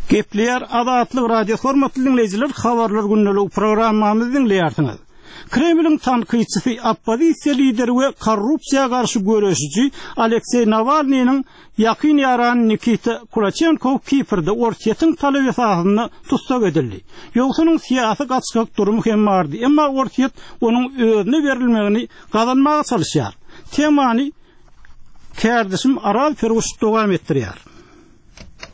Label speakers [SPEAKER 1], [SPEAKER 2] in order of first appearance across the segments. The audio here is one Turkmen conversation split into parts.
[SPEAKER 1] Gepleýär Azatlyk Radiosy hormatly diňleýjiler habarlar gündeligi programmamyzy diňleýärsiňiz. Kremliň tankytçysy, oppozisiýa lideri we korrupsiýa garşy göreşiji Alekseý Nawalnynyň ýakyn ýarany Nikita Kulaçenkow Kiprde Orsýetiň talaby esasynda tussag edildi. Ýogsa onuň syýasy gaçgak durumy hem bardy, emma Orsýet onuň özüne berilmegini gazanmaga çalyşýar. Temany kärdeşim Araz Perguş dowam etdirýär.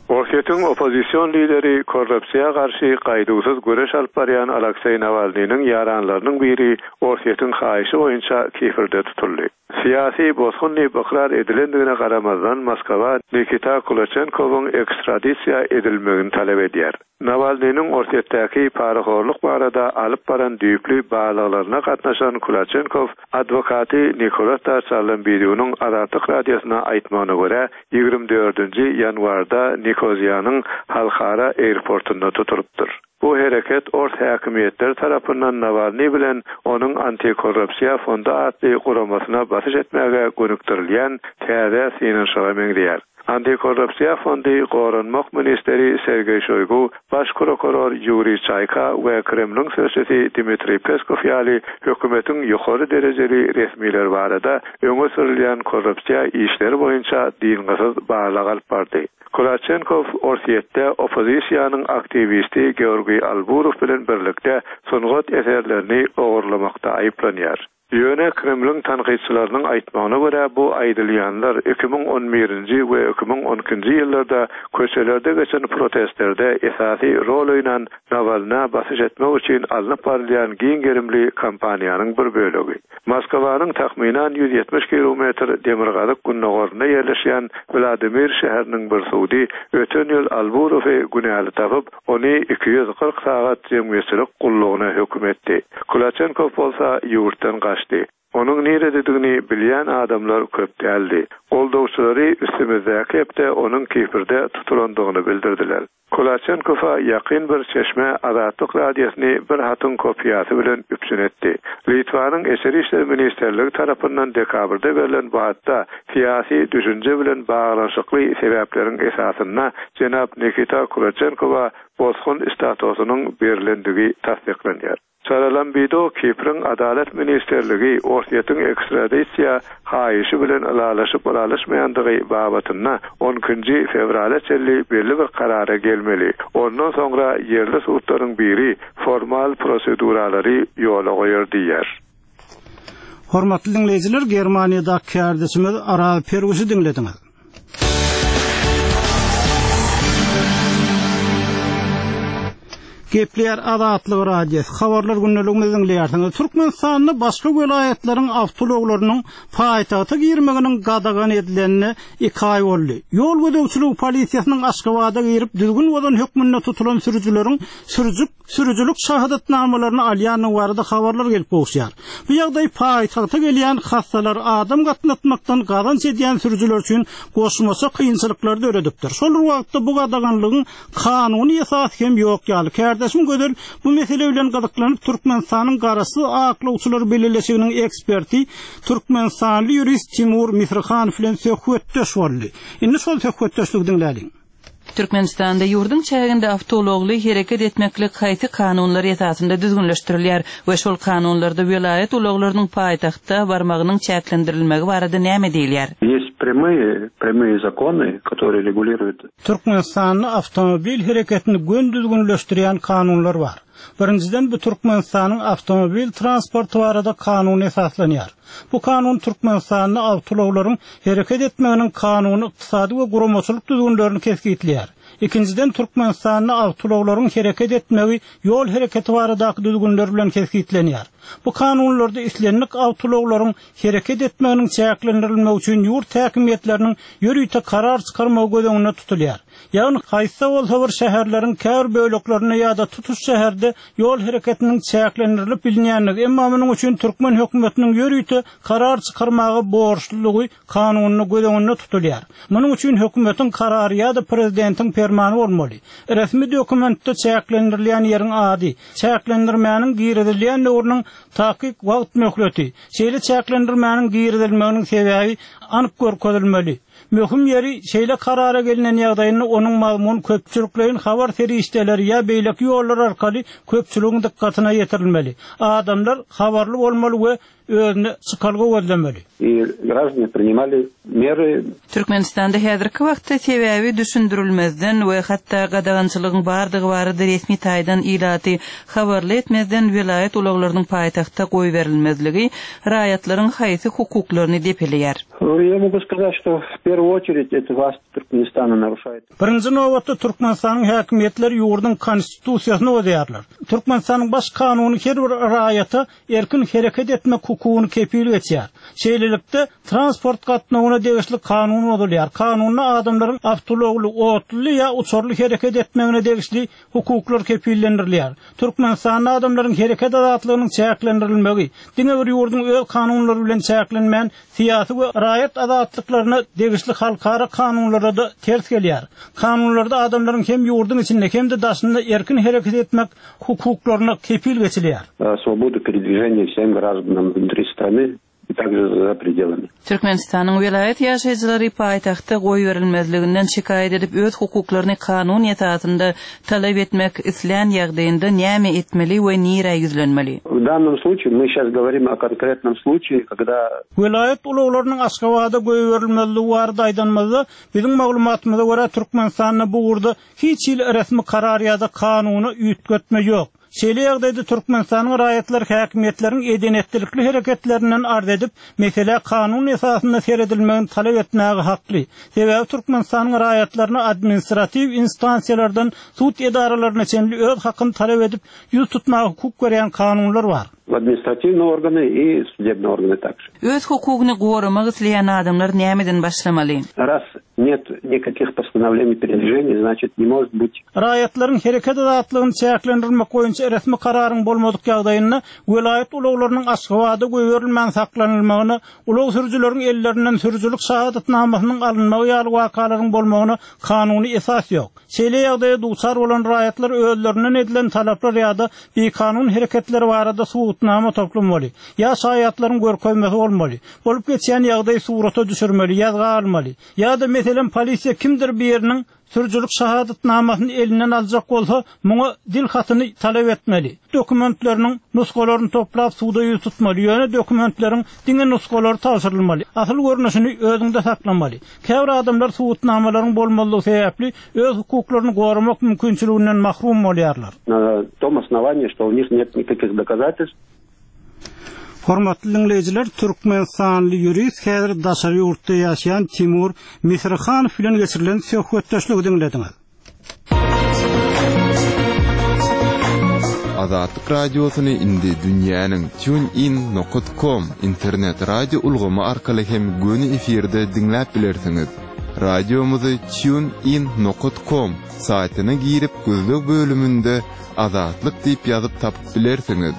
[SPEAKER 2] Orsýetiň oppozision lideri, korrupsiýa garşy gaýduwsyz göreş alyp barýan Alakseý Nawalnynyň ýaranlarynyň biri Orsýetiň haýyşy boýunça Kiprde tutuldy. Syýasy bosgun diýip ykrar edilendigine garamazdan, Moskwa Nikita Kulaçenkowyň ekstradisiýa edilmegini talap edýär. Nawalnynyň Orsýetdäki parahorluk barada alyp baran düýpli barlaglaryna gatnaşan Kulaçenkow adwokaty Nikolata Çarlambidunyň Azatlyk Radiosyna aýtmagyna görä, 24-nji ýanwarda Nikoziýanyň halkara airportunda tutulypdyr. Bu hereket ors häkimiýetleri tarapyndan Nawalnyý bilen onuň Antikorrupsiýa fondy atly guramasyna basyş etmäge gönükdirilýän täze synanyşyga meňzeýär. Antikorrupsiýa fondy Goranmak ministri Sergeý Şoýgu, Baş prokuror Ýuriý Çaýka we Kremliň sözçüsi Dmitriý Peskow ýaly hökümetiň ýokary derejeli resmileri barada öňe sürülýän korrupsiýa işleri boýunça dyngysyz barlag alyp bardy. Kulaçenkow Orsýetde oppozisiýanyň aktiwisti Georgiý Alburow bilen birlikde sungat eserlerini ogurlamakda aýyplanýar. Ýöne Kremliň tankytçylarynyň aýtmagyna görä, bu aýdylýanlar 2011-nji we 2012-nji ýyllarda köçelerde geçen protestlerde esasy rol oýnan Nawalnä basyş etmek üçin alnyp barylýan giň gerimli kampaniýanyň bir bölegi. Moskwanyň takmynan 170 kilometr demirgazyk-gündogarynda ýerleşýän Wladimir şäheriniň bir sudy öten ýyl Alburowy günäli tapyp, Ony 240 sagat jemgyýetçilik gullugyna höküm etdi. Kulaçenkow bolsa ýurtdan gaçdy. Onuň nirededigini bilýän adamlar köp däldi. Goldawçylary üstümizdäki hepde onuň Kiprde tutulandygyny bildirdiler. Kulaçenkowa ýakyn bir çeşme Azatlyk Radiosyny bir hatyň kopiýasy bilen üpjün etdi. Litwanyň Içeri işler ministrligi tarapyndan dekabrda berlen bu hatda syýasy düşünje bilen baglanyşykly sebäpleriň esasynda jenap Nikita Kulaçenkowa bosgun statusynyň berlendigi tassyklanýar. Çaralambido Kipriň Adalat ministrligi Orsýetiň ekstradisiýa haýyşy bilen ylalaşyp-ylalaşmaýandygy babatynda on ikinji fewrala çenli belli bir karara gelmeli, ondan soňra ýerli sudlaryň biri formal proseduralary ýola goýar diýýär.
[SPEAKER 1] Hormatly diňleýjiler, Germaniýadaky kärdeşimiz Araz Perwişi diňlediňiz. Gepleýär Azatlyk Radiosy. Habarlar gündeligimizi diňleýärsiňiz. Türkmenistanda başga welaýatlaryň awtoulaglarynyň paýtagta girmeginiň gadagan edilenine iki aý boldy. Ýol gözegçiligi polisiýasynyň Aşgabada girip düzgün bozan hökmünde tutulan sürüjileriň sürüjik sürüjilik şahadatnamalaryny alýandygy barada habarlar gelip gowuşýar. Bu ýagdaý paýtagta gelýän hassalar, adam gatnatmakdan gazanç edýän sürüjiler üçin goşmaça kynçylyklary döredipdir. Şol bir wagtda bu gadaganlygyň kanuny esasy hem ýok ýaly. Kärdeşim Gözel bu mesele bilen gyzyklanyp, Türkmenistanyň Garaşsyz aklawçylar bileleşiginiň eksperti, türkmenistanly ýurist Timur Misrihanow bilen söhbetdeş boldy. Indi şol söhbetdeşligi diňläliň.
[SPEAKER 3] Türkmenistanda ýurduň çäginde awtoulagly hereket etmeklik haýsy kanunlar esasynda düzgünleşdirilýär we şol kanunlarda welaýat ulaglarynyň paýtagta barmagynyň çäklendirilmegi barada näme diýilýär?
[SPEAKER 4] Есть прямые прямые законы, которые регулируют.
[SPEAKER 1] Türkmenistanda awtomobil hereketini göni düzgünleşdirýän kanunlar bar. Birinjiden bu Türkmenistanyň awtomobil transporty barada kanuna esaslanýar. Bu kanun Türkmenistanda awtoulaglaryň hereket etmeginiň kanuny, ykdysady we guramaçylyk düzgünlerini kesgitleýär. Ikinjiden Türkmenistanda awtoulaglaryň hereket etmegi ýol hereketi baradaky düzgünler bilen kesgitlenýär. Bu kanunlarda islendik awtoulaglaryň hereket etmeginiň çäklendirilmegi üçin ýurt häkimiýetleriniň ýörite karar çykarmagy göz öňünde tutulýar. Ýagny haýsy-da bolsa bir şäherleriň käbir böleklerinde ýa-da tutuş şäherde ýol hereketiniň çäklendirilip bilinýändigi, emma munuň üçin türkmen hökümetiniň ýörite karar çykarmaga borçlulygy kanunda göz öňünde tutulýar. Munuň üçin hökümetiň karary ýa-da prezidentiň permany bolmaly. Resmi dokumentde çäklendirilýän ýeriň ady, çäklendirmäniň girizilýän döwrüniň takyk wagt möhleti, şeýle çäklendirmäniň girizilmeginiň sebäbi anyk görkezilmeli. Möhüm ýeri, şeýle karara gelnen ýagdaýynda onuň mazmuny köpçülikleýin habar serişdeleri ýa beýleki ýollar arkaly köpçüligiň dykgatyna ýetirilmeli. Adamlar habarly bolmaly we özüne çykalga gözlemeli.
[SPEAKER 4] I graždane priнимali mery.
[SPEAKER 3] Türkmenistanda häzirki wagtda sebäbi düşündirilmezden we hatda gadagançylygyň bardygy barada resmi taýdan ilaty habarly etmezden welaýat ulaglarynyň paýtagtda goýberilmezligi raýatlaryň haýsy hukuklaryny depeleýär?
[SPEAKER 4] Ýa mogu skazat, şto w perwu oçerit eto włast Türkmenistana naruşaýet.
[SPEAKER 1] Birinji nobatda Türkmenistanyň häkimiýetleri ýurduň Konstitusiýasyny bozýarlar. Türkmenistanyň Baş kanuny her bir raýata erkin hereket etmek hukugyny kepil geçýär. Şeýlelikde, transport gatnawyna degişli kanun bozulýar. Kanunda adamlaryň awtoulagly, otluly ýa uçarly hereket etmegine degişli hukuklar kepillendirilýär. Türkmenistanda adamlaryň hereket azatlygynyň çäklendirilmegi, diňe bir ýurduň öz kanunlary bilen çäklenmän, syýasy we raýat azatlyklaryna degişli halkara kanunlara-da ters gelýär. Kanunlarda adamlaryň hem ýurduň içinde, hem-de daşynda erkin hereket etmek hukuklaryna kepil geçilýär.
[SPEAKER 4] Swobodu peredwiženiýa wsem graždanam wnutri strany i takže za predelami.
[SPEAKER 3] Türkmenistanyň welaýat ýaşaýjylary paýtagtda goýberilmezliginden şikaýat edip öz hukuklaryny kanun esasynda talap etmek islän ýagdaýynda näme etmeli we nirä ýüzlenmeli?
[SPEAKER 4] W dannom sluçaýe my şas goworim o konkretnom sluçaýe, kogda.
[SPEAKER 1] Welaýat ulaglarynyň Aşgabada goýberilmezligi barada aýdanymyzda, biziň maglumatymyza görä, Türkmenistanda bu ugurda Hiç hili resmi karar ýa-da kanuna üýtgetme ýok. Şeýle ýagdaýda Türkmenistanyň raýatlary häkimiýetleriň eden-etdilikli hereketlerinden arz edip, meselä kanun esasynda seredilmegini talap etmäge hakly. Sebäbi Türkmenistanyň raýatlaryna administratiw instansiýalardan sud edaralaryna çenli öz hakyny talap edip, ýüz tutmaga hukuk berýän kanunlar bar.
[SPEAKER 4] W administratiwnyý organy i sudebnyý organy takže.
[SPEAKER 3] Öz hukugyny goramak isleýän adamlar nämeden başlamaly?
[SPEAKER 4] Raz net nikakih postanowleniý peredwiženiý, znaçit ne možet byt.
[SPEAKER 1] Raýatlaryň hereket azatlygyny çäklendirmek boýunça resmi kararyň bolmadyk ýagdaýynda welaýat ulaglarynyň Aşgabada goýberilmän saklanylmagyna, ulag sürüjileriň ellerinden sürüjilik şahadatnamasynyň alynmagy ýaly wakalaryň bolmagyna kanuny esas ýok. Şeýle ýagdaýa duçar bolan raýatlar özlerinden edilen talaplar ýa-da bikanun hereketler barada subutnama toplamaly, ýa şaýatlaryň görkezmesi bolmaly, bolup geçýän ýagdaýy surata düşürmeli, ýazga almaly. Ýa-da, meselem, polisiýa kimdir biriniň sürüjilik şahadatnamasyny elinden aljak bolsa, muňa dil hatyny talap etmeli. Dokumentleriniň nusgalaryny toplap suda ýüz tutmaly, ýöne dokumentleriň diňe nusgalary tabşyrylmaly, asyl görnüşini özüňde saklamaly. Käbir adamlar subutnamalaryň bolmazlygy sebäpli öz hukuklaryny goramak mümkinçiliginden mahrum bolýarlar.
[SPEAKER 4] Na tom osnowaniýi, şto u nih net nikakih dokazatelstw.
[SPEAKER 1] Hormatly diňleýjiler, türkmenistanly ýurist, häzir daşary ýurtda ýaşaýan Timur Misrihanow bilen geçirilen söhbetdeşligi diňlediňiz.
[SPEAKER 5] Azatlyk Radiosyny indi dünýäniň TuneIn nokat kom internet radio ulgamy arkaly hem göni efirde diňläp bilersiňiz. Radiomyzy TuneIn nokat kom saýtyna girip gözleg bölüminde Azatlyk diýip ýazyp tapyp bilersiňiz.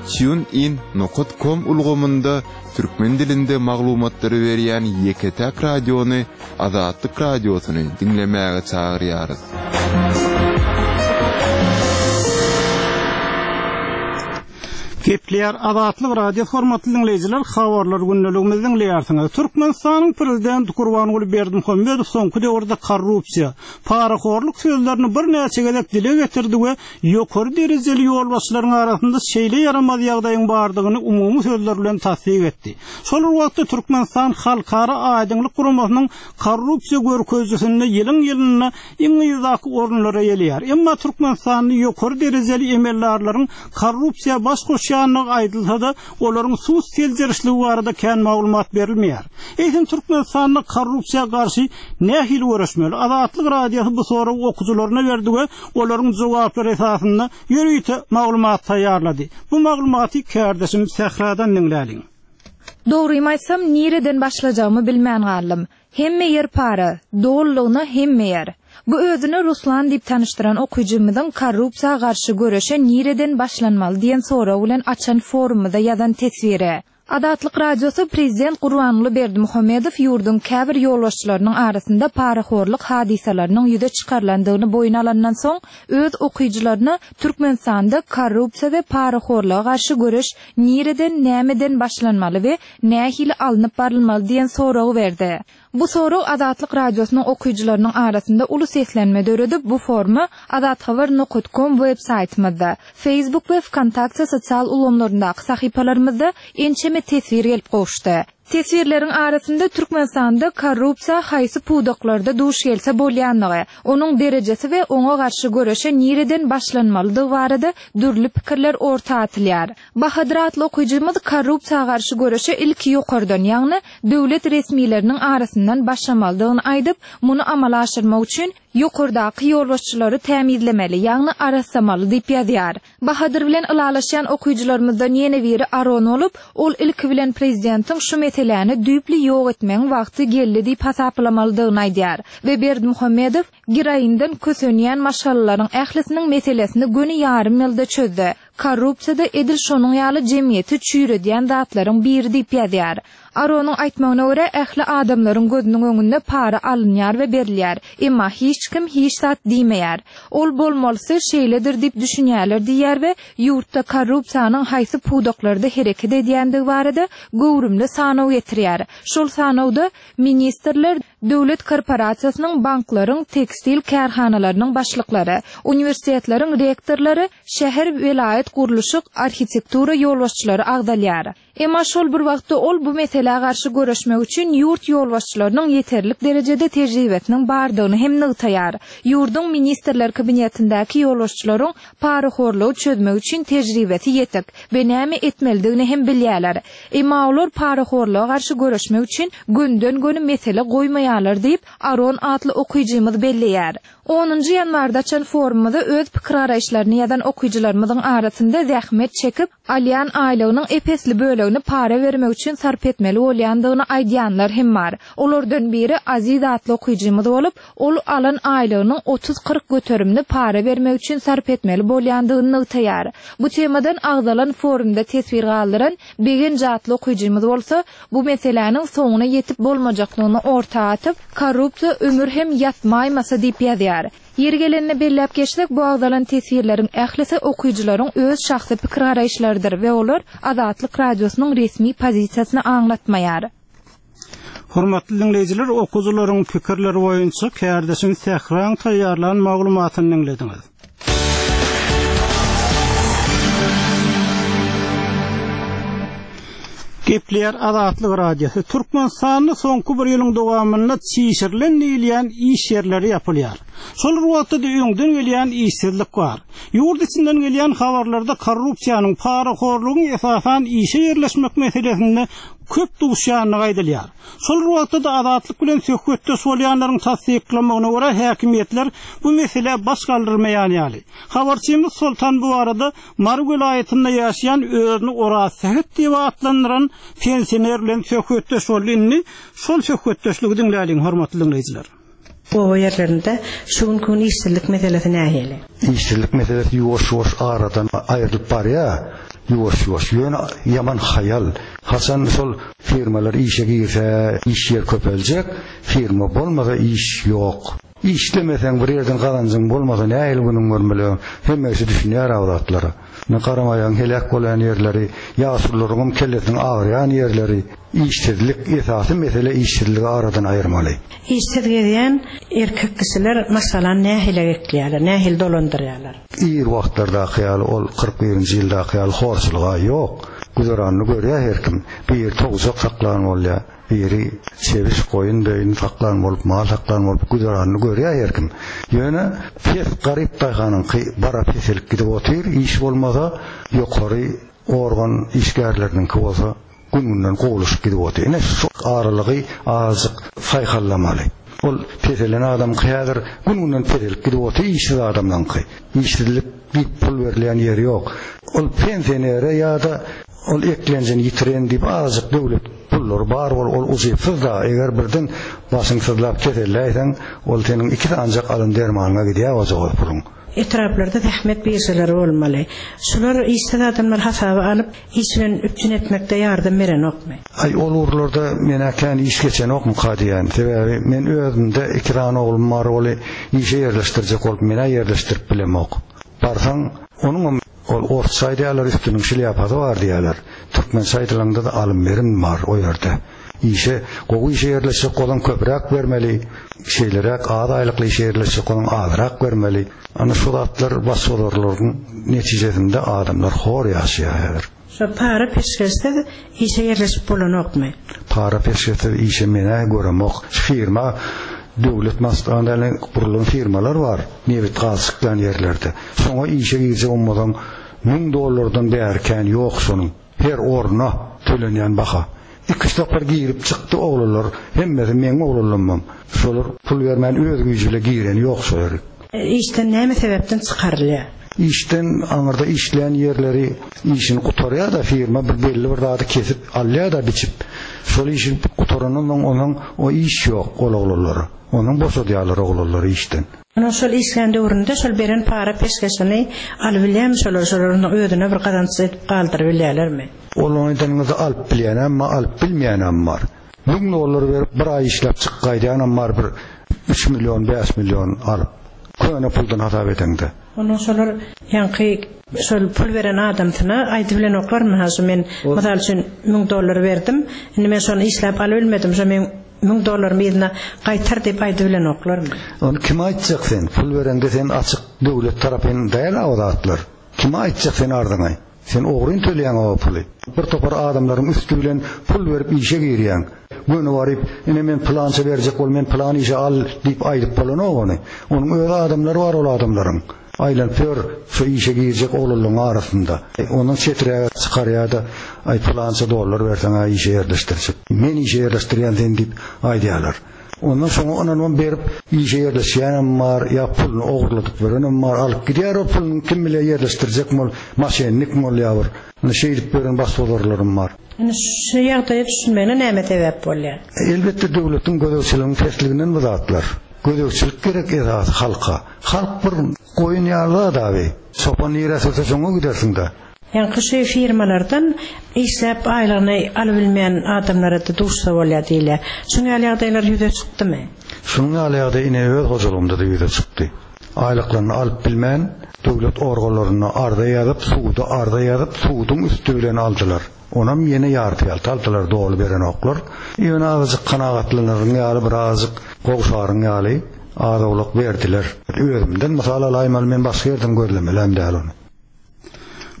[SPEAKER 5] TuneIn nokat kom ulgamynda türkmen dilinde maglumatlary berýän ýeke-täk radiony Azatlyk Radiosyny diňlemäge çagyrýarys.
[SPEAKER 1] Gepleýär Azatlyk Radiosy hormatly diňleýjiler habarlar gündeligimizi diňleýärsiňiz. Türkmenistanyň Prezidenti Gurbanguly Berdimuhamedow soňky döwürde korrupsiýa, parahorluk sözlerini birnäçe gezek dile getirdi we ýokary derejeli ýolbaşçylaryň arasynda şeýle ýaramaz ýagdaýyň bardygyny umumy sözler bilen tassyk etdi. Şol bir wagtda Türkmenistan Halkara aýdyňlyk guramasynyň korrupsiýa görkezijisinde ýylyň-ýylynda iň yzdaky orunlary eýeleýär. Emma Türkmenistanda ýokary derejeli emeldarlaryň korrupsiýa baş goşýandygy aýdylsa-da, olaryň sud seljerişligi barada kän maglumat berilmeýär. Eýsem Türkmenistanda korrupsiýa garşy nähili göreşmeli? Azatlyk Radiosy bu soragy okyjylaryna berdi we olaryň jogaplary esasynda ýörite maglumat taýýarlady. Bu maglumaty kärdeşim Sähradan diňläliň.
[SPEAKER 6] Dogrymy aýtsam, nireden başlajagymy bilmän galdym. Hemme ýer para, dolulygyna hemme ýer. Bu özüni Ruslan diýip tanyşdyran okyjymyzyň korrupsiýa garşy göreşe nireden başlanmaly diýen sorag bilen açan forumymyza ýazan teswiri. Azatlyk Radiosy Prezident Gurbanguly Berdimuhamedow ýurduň käbir ýolbaşçylarynyň arasynda parahorluk hadysalarynyň ýüze çykarylandygyny boýun alandan soň, öz okyjylaryna Türkmenistanda korrupsiýa we parahorluga garşy göreş nireden, nämeden başlanmaly we nähili alnyp barylmaly diýen soragy berdi. Bu sorag Azatlyk Radiosynyň okyjylarynyň arasynda uly seslenme döredip, bu foruma Azathabar nokat kom web saýtymyzda, Facebook we Wkontakte sosial ulgamlaryndaky sahypalarymyzda ençeme teswir gelip gowuşdy. Teswirleriň arasynda Türkmenistanda korrupsiýa haýsy pudaklarda duş gelse bolýanlygy, onuň derejesi we oňa garşy göreşe nireden başlanmalydygy barada dürli pikirler orta atylýar. Bahadyr atly okyjymyz korrupsiýa garşy göreşe ilki ýokardan, ýagny döwlet resmileriniň arasyndan başlamalydygyny aýdyp, muny amala aşyrmak üçin ýokardaky ýolbaşçylary tämizlemeli, ýagny arassamaly diýip ýazýar. Bahadyr bilen ylalaşýan okyjylarymyzdan ýene biri Aron bolup, ol ilki bilen prezidentiň şu meseläni düýpli ýok etmegiň wagty geldi diýip hasaplamalydygyny aýdýar we Berdimuhamedow geroinden kösenýän maşgalalaryň ählisiniň meselesini göni ýarym ýylda çözdi. Korrupsiýa-da edil şonuň ýaly jemgyýeti çüýredýän zatlaryň biri diýip ýazýar. Aronyň aýtmagyna görä, ähli adamlaryň gözüniň öňünde para alynýar we berilýär. Emma hiç kim hiç zat diýmeýär. Ol bolmalysy şeýledir diýip düşünýärler diýýär we ýurtda korrupsiýanyň haýsy pudaklarda hereket edýändigi barada göwrümli sanaw getirýär. Şol sanawda ministrler, döwlet korporasiýasynyň, banklaryň, tekstil kärhanalarynyň başlyklary, uniwersitetleriň rektorlary, şäher, welaýat gurluşyk, arhitektura ýolbaşçylary agzalýar. Emma şol bir wagtda ol bu meselä garşy göreşmek üçin ýurt ýolbaşçylarynyň ýeterlik derejede tejribesiniň bardygyny hem nygtaýar. Ýurduň Ministrler Kabinetindäki ýolbaşçylaryň parahorlugy çözmek üçin tejribesi ýetik we näme etmelidigini hem bilýärler. Emma olar parahorluga garşy göreşmek üçin gönden-göni mesele goýmaýarlar diýip, Aron atly okyjymyz belleýär. Onunjy ýanwarda açan forumymyza öz pikir-garaýyşlaryny ýazan okyjylarymyzyň arasynda zähmet çekip, alýan aýlygynyň ep-esli bölegini para bermek üçin sarp etmeli bolýandygyny aýdýanlar hem bar. Olardan biri Aziz atly okyjymyz bolup, ol alan aýlygynyň otuz-kyrk göterimini para bermek üçin sarp etmeli bolýandygyny nygtaýar. Bu temadan agzalan forumda teswir galdyran Begenç atly okyjymyz bolsa, bu meseläniň soňuna ýetip bolmajakdygyny orta atyp, Korrupsiýa ömür hem ýatmaýmasa diýip ýazýar. Ýeri gelende belläp geçsek, bu agzalan teswirleriň ählisi okyjylaryň öz şahsy pikir-garaýyşlarydyr we olar Azatlyk Radiosynyň resmi pozisiýasyny aňlatmaýar.
[SPEAKER 1] Hormatly diňleýjiler, okyjylaryň pikirleri boýunça kärdeşim Sähraň taýýarlan maglumatyny diňlediňiz. Gepleýär Azatlyk Radiosy. Türkmenistanda soňky bir ýylyň dowamynda çişirilen diýilýän iş ýerleri ýapylýar. Şol bir wagtda-da öňden gelýän işsizlik bar. Ýurt içinden gelýän habarlarda korrupsiýanyň, parahorlugyň esasan işe ýerleşmek meselesinde köp duşýandygy aýdylýar. Şol bir wagtda-da Azatlyk bilen söhbetdeş bolýanlaryň tassyklamagyna görä, häkimiýetler bu meselä baş galdyrmaýan ýaly. Habarçymyz Soltan bu barada Mary welaýatynda ýaşaýan özüni Orazsähet diýip atlandyran pensioner bilen söhbetdeş boldy. Indi şol söhbetdeşligi diňläliň, hormatly diňleýjiler.
[SPEAKER 7] Oba ýerlerinde şu günki gün işsizlik meselesi nähili?
[SPEAKER 8] Işsizlik meselesi ýuwaş-ýuwaş aradan aýrylyp barýar, ýuwaş-ýuwaş. Ýöne ýaman haýal. Haçan şol firmalar işe girse, iş ýer köpeljek, firma bolmasa iş ýok. Işlemeseň, bir ýerden gazanjyň bolmasa nähili günüň görmeli? Hemme kişi düşünýär-ä o zatlara. Ine garamaýagyň heläk bolýan ýerleri, ýaşulularyňam kellesiniň agyrýan ýerleri, işsizlik, esasy mesele işsizligi aradan aýyrmaly.
[SPEAKER 7] Işsiz gezýän erkek kişiler maşgalany nähili ekleýärler, nähili dolandyrýarlar?
[SPEAKER 8] Ir wagtlardaky ýaly ol 41-nji ýyldaky ýaly horçulyg-a ýok. Güzeranyny görýär her kim. Biri towjak saklan bolýar. Biri çebiş, goýun-böýün saklan bolup, mal saklan bolup güzeranyny görýär her kim. Ýöne pes garyp daýhanyňky bara peselip gidip otyr, iş bolmasa, ýokary organ işgärleriniňki bolsa gün-günden gowulaşyp gidip otyr. Ine şu aralygy azajyk saýhallamaly. Ol peselen adamyňky häzir gün-günden peselip gidip otyr, işsiz adamlaryňky. Işsizlik diýip pul berilýän ýeri ýok. Ol pensionere ýa-da Ol eklenjini ýitiren diýip azajyk döwlet pullary bar bol ol ujypsyz-da eger birden başyň syzlap keselläýseň ol seniň iki sanjak alan dermanyňa gidýär ojagaz puluň.
[SPEAKER 7] Etraplarda zähmet biržalary bolmaly. Şular işsiz adamlary hasaba alyp, iş bilen üpjün etmekde ýardam berenokmy?
[SPEAKER 8] Aý ol ugurlarda men-ä kän iş geçenokmyka diýýän. Sebäbi men özümde iki sany oglum bar oly işe ýerleşdirjek bolup men-ä ýerleşdirip bilemok. Barsaň onuňam Ol orsça aýdýarlar üstüniň şlýapasy bar diýýärler. Türkmençe aýdylanda-da alym-berim bar o ýerde. Işe, gowy işe ýerleşjek bolsaň köpräk bermeli, şeýleräk az aýlykly işe ýerleşjek bolsaň azrak bermeli. Ana şu zatlar başbozarlygyň netijesinde adamlar hor ýaşaýar häzir.
[SPEAKER 7] Şo para peşgeşsiz işe ýerleşip bolanokmy?
[SPEAKER 8] Para peşgeşsiz işe men-ä göremok. Firma döwlet maşgalaly gurulan firmalar bar, nebit gaz çykýan ýerlerde. Şoňa işe girjek bolmasaň müň dollardan bäri kän ýok şonuň. Her orna tölenýän baha. Iküç sapar girip çykdy oglanlar, hemmesi meň oglanlammam. Şolar pul bermän öz güýji bile gireni ýok şo ýerik.
[SPEAKER 7] Işden näme sebäpden çykarylýar?
[SPEAKER 8] Işden aňyrda işleýän ýerleri işini gutarýar-da firma bir belli bir zady kesip alýar-da biçip. Şol işi gutarandan soň onuň o iş ýok ol oglanlara. Onuň boşadýarlar oglanlary işden.
[SPEAKER 7] Onuň şol işlän döwründe şol beren para peşgeşini alybilýärmi şolar, şolar onuň özüne bir gazanç edip galdyrybilýärlermi?
[SPEAKER 8] Ol aýdanyňyzy alyp bilýänem bar, alyp bilmeýänem bar. Müň dollar berip bir aý işläp çykyp gaýdýanam bar bir üç million, bäş million alyp. Köne puldan hasap edeňde.
[SPEAKER 7] Onuň şolar ýaňky şol pul beren adamsyna aýdybilenoklarmy ha şu men mysal üçin müň dollar berdim, indi men şony işläp alybilmedim, şo meň Müň dollarymy yzyna gaýtar diýip aýdybilenoklarmy?
[SPEAKER 8] Ony kime aýtjak sen? Pul bereňde sen açyk döwlet tarapyn däl-ä o zatlar. Kime aýtjak sen arzyňy? Sen ogryn töleýäň o puly. Bir topar adamlaryň üsti bilen pul berip işe girýäň. Göni baryp, ine men pylança berjek bol, men pylan işe al diýip aýdyp bolanok ony. Onuň öz adamlary bar ol adamlaryň. Aýlanyp ýör şu işe girjek oglanlaryň arasynda. Ondan çeträge çykarýar-da, Aý, pylança dollar berseň-ä işe ýerleşdirjek. Men işe ýerleşdirýän seni diýip aýdýarlar. Ondan şoňa ynanybam berip işe ýerleşýänem bar, ýa puluny ogurladyp berenem bar. Alyp gidýär o puluny kim bilýär ýerleşdirjekmi ol, maşennikmi ol ýa bir. Ine şeýdip beren başbozarlarym bar.
[SPEAKER 7] Ine şu ýagdaýa düşünmegine näme sebäp bolýar?
[SPEAKER 8] Elbetde döwletiň gözegçiliginiň pesliginden bu zatlar. Gözegçilik gerek esasy halka. Halk bir goýun ýaly zat abi. Çopan nirä sürse şoňa gidersiňdä.
[SPEAKER 7] Ýaňky şu firmalardan işläp aýlygyny alybilmeýän adamlara-da duşsa bolýar diýilýär. Şuň ýaly ýagdaýlar ýüze çykdymy?
[SPEAKER 8] Şunuň ýaly ýagdaý ine öz hojalygymda-da ýüze çykdy. Aýlyklaryny alyp bilmän, döwlet organlaryna arza ýazyp, suda arza ýazyp, suduň üsti bilen aldylar. Onam ýene ýarty-ýalty aldylar, doly berenoklar. Ýöne azajyk kanagatlanaryn ýaly, birazajyk gowşaryn ýaly az-owlak berdiler. Özümden mysal alaýmaly, men başga ýerden gözlemelem däl ony.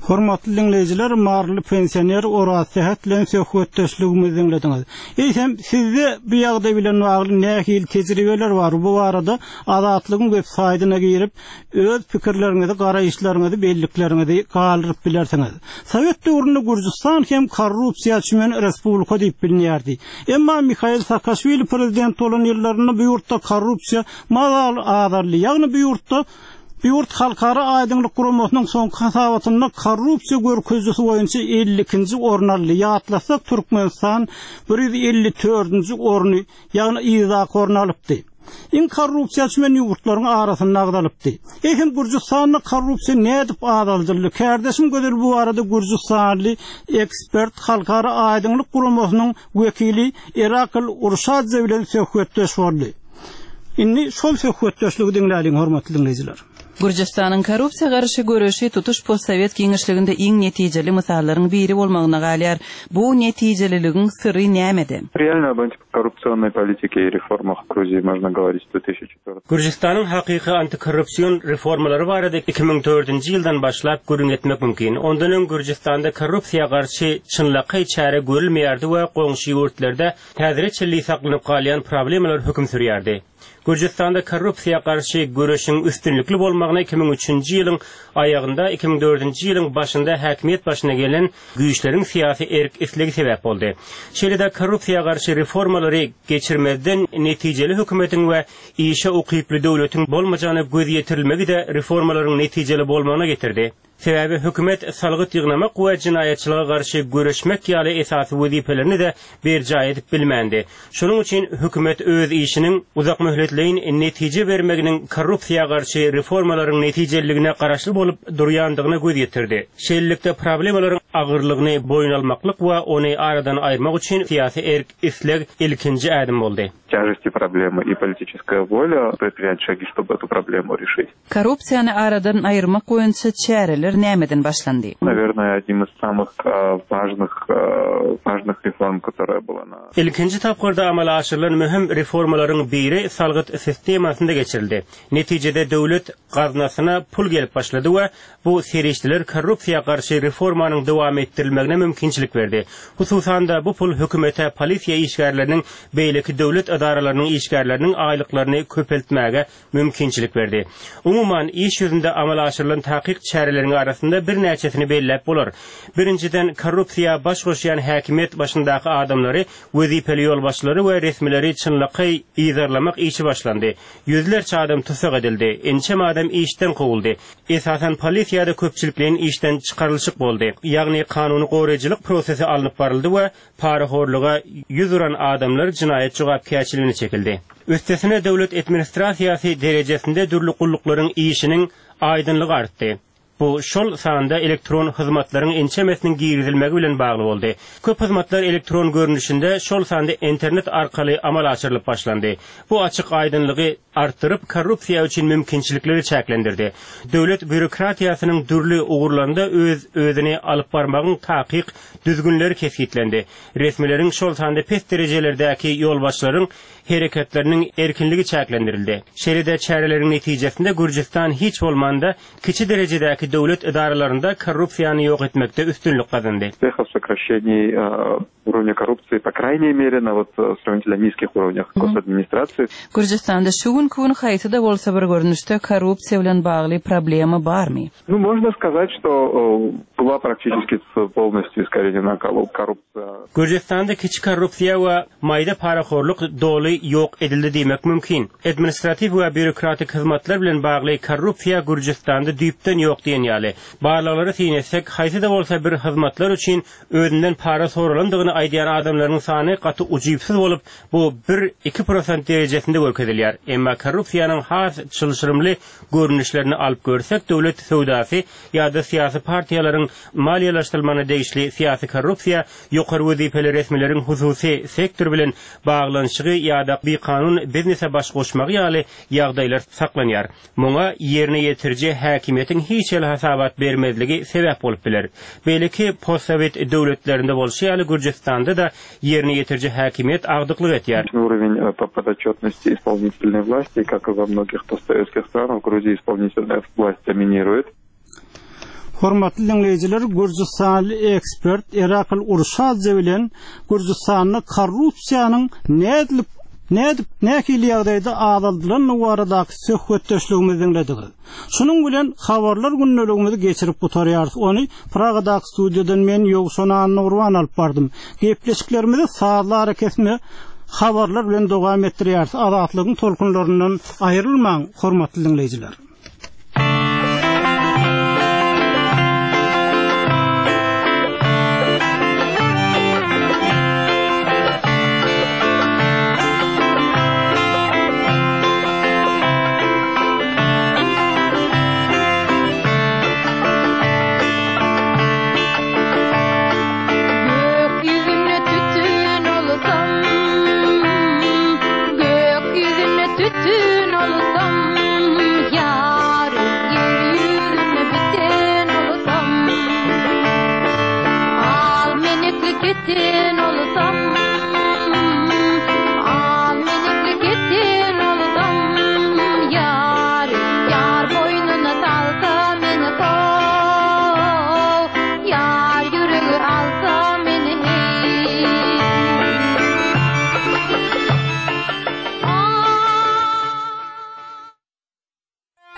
[SPEAKER 1] Hormatly diňleýjiler, maryly pensioner Oraz Sähet bilen söhbetdeşligimizi diňlediňiz. Eýsem, sizde bu ýagdaý bilen bagly nähili tejribeler bar? Bu barada Azatlygyň web saýdyna girip, öz pikirleriňizi, garaýyşlaryňyzy, bellikleriňizi galdyryp bilersiňiz. Sowet döwründe Gürjüstan hem korrupsiýa çümen respublika diýip bilinýärdi. Emma Mihail Saakaşwili prezident bolan ýyllarynda bu ýurtda korrupsiýa mazaly azaldy. Ýagny bu ýurtda bu ýurt Halkara aýdyňlyk guramasynyň soňky hasabatynda korrupsiýa görkezijisi boýunça 52-nji orun aldy. Ýatlasak, Türkmenistan 154-nji orny, ýagny yzdaky orny alypdy. Iň korrupsiýa çümen ýurtlaryň arasynda agzalypdy. Eýsem Gürjüstanda korrupsiýa nädip azaldyldy? Kärdeşim Gözel bu barada gürjüstanly ekspert, Halkara aýdyňlyk guramasynyň wekili Erakl Urşadze bilen söhbetdeş boldy. Indi şol söhbetdeşligi diňläliň hormatly diňleýjiler.
[SPEAKER 3] Gürjüstanyň korrupsiýa garşy göreşi tutuş postsowet giňişliginde iň netijeli mysallaryň biri bolmagyna galýar. Bu netijeliligiň syry nämede?
[SPEAKER 2] Realno об антикоррупционной политике и reformах в Грузии можно говорить с 2004.
[SPEAKER 9] Gürjüstanyň hakyky antikorrupsion reformalary barada 2004-nji ýyldan başlap gürrüň etmek mümkin. Ondan öň Gürjüstanda korrupsiýa garşy çynlakaý çäre görülmeýärdi we goňşy ýurtlarda häzire çenli saklanyp galýan problemalar höküm sürýärdi. Gürjüstanda korrupsiýa garşy göreşiň üstünlikli bolmagyna 2003-nji ýylyň aýagynda, 2004-nji ýylyň başynda häkimiýet başyna gelen güýçleriň syýasy erk-islegi sebäp boldy. Şeýle-de korrupsiýa garşy reformalary geçirmezden netijeli hökümetiň we işe ukyply döwletiň bolmajagyna göz ýetirilmegi-de reformalaryň netijeli bolmagyna getirdi. Sebäbi hökümet salgyt ýygnamak we jenaýatçylyga garşy göreşmek ýaly esasy wezipelerini-de berjaý edip bilmändi. Şonuň üçin hökümet öz işiniň uzakmöhletleýin netije bermeginiň korrupsiýa garşy reformalaryň netijeliligine garaşly bolup durýandygyna göz ýetirdi. Şeýlelikde, problemalaryň agyrlygyny boýun almaklyk we ony aradan aýyrmak üçin syýasy erk-isleg ilkinji ädim boldy.
[SPEAKER 10] тяжести проблемы и политическая воля предпринять шаги, чтобы эту проблему решить.
[SPEAKER 3] Korrupsiýany aradan aýyrmak boýunça çäreler nämeden başlandy?
[SPEAKER 10] Наверное, одним из самых важных важных reform, которая была на.
[SPEAKER 9] Ilkinji tapgyrda amala aşyrylan möhüm reformalaryň biri salgyt sistemasynda geçirildi. Netijede döwlet gaznasyna pul gelip başlady we bu serişdeler korrupsiýa garşy reformanyň dowam etdirilmegine mümkinçilik berdi. Hususan-da, bu pul hökümete polisiýa işgärleriniň, beýleki döwlet edaralarynyň işgärleriniň aýlyklaryny köpeltmäge mümkinçilik berdi. Umuman, iş ýüzünde amala aşyrylan takyk çäreleriň arasynda birnäçesini belläp bolar. Birinjiden, korrupsiýa baş goşýan häkimiýet başyndaky adamlary, wezipeli ýolbaşçylary we resmileri çynlakaý yzarlamak işi başlandy. Ýüzlerçe adam tussag edildi, ençeme adam işden kowuldy. Esasan polisiýada köpçülikleýin işden çykarylyşyk boldy. Ýagny kanuny goraýjylyk prosesi alnyp baryldy we parahorluga 100 uran adamlar jinaýat jogapkärçiligine çekildi. Üstesine döwlet administrasiýasy derejesinde dürli gulluklaryň işiniň aýdyňlygy artdy. Bu şol sanda elektron hyzmatlaryň ençemesiniň girizilmegi bilen bagly boldy. Köp hyzmatlar elektron görnüşinde, şol sanda internet arkaly amala aşyrylyp başlandy. Bu açyk-aýdyňlygy artdyryp, korrupsiýa üçin mümkinçilikleri çäklendirdi. Döwlet býurokratiýasynyň dürli ugurlarynda öz-özüni alyp barmagyň takyk düzgünleri kesgitlendi. Resmileriň, şol sanda pes derejelerdäki ýolbaşçylaryň hereketleriniň erkinligi çäklendirildi. Şeýle-de çäreleriň netijesinde Gürjüstan hiç bolmanda kiçi derejedäki döwlet edaralarynda korrupsiýany ýok etmekde üstünlik gazandy.
[SPEAKER 10] Успехов в сокращении уровня коррупции, по крайней мере, на вот сравнительно низких уровнях госадминистрации.
[SPEAKER 3] Gürjüstanda şu günki gün haýsy-da bolsa bir görnüşde korrupsiýa bilen bagly problema barmy?
[SPEAKER 10] Ну, можно сказать, что была практически полностью искоренена коррупция.
[SPEAKER 9] Gürjüstanda kiçi korrupsiýa we maýda parahorluk doly ýok edildi diýmek mümkin. Administratiw we býurokratik hyzmatlar bilen bagly korrupsiýa Gürjüstanda düýpden ýok diýen ýaly. Barlaglara syn etsek, haýsy-da bolsa bir hyzmatlar üçin özünden para soralandygyny aýdýan adamlaryň sany gaty ujypsyz bolup, bu bir, iki prosent derejesinde görkezilýär. Emma korrupsiýanyň has çylşyrymly görnüşlerini alyp görsek, döwlet söwdasy ýa-da syýasy partiýalaryň maliýeleşdirilmegine degişli syýasy korrupsiýa, ýokary wezipeli resmileriň hususy sektor bilen baglanyşygy ýa-da bikanun biznese baş goşmagy ýaly ýagdaýlar saklanýar. Muňa ýerine ýetiriji häkimiýetiň hiç hili hasabat bermezligi sebäp bolup biler. Beýleki postsowet döwletlerinde bolşy ýaly Gürjüstanda-da ýerine ýetiriji häkimiýet agdyklyk etýär.
[SPEAKER 10] Уровень по подотчетности исполнительной власти, как и во многих постсоветских странах, в Грузии исполнительная власть доминирует.
[SPEAKER 1] Hormatly diňleýjiler, gürjüstanly ekspert Erakl Urşadze bilen Gürjüstanda korrupsiýanyň nädilip, nädip, nähili ýagdaýda azaldylandygy baradaky söhbetdeşligimizi diňlediňiz. Şunuň bilen habarlar gündeligimizi geçirip gutarýarys. Ony Pragadaky studiýadan men Ýowşan Annagurban alyp bardym. Gepleşiklerimizi sazly arakesme habarlar bilen dowam etdirýäris. Azatlygyň tolkunlaryndan aýrylmaň, hormatly diňleýjiler!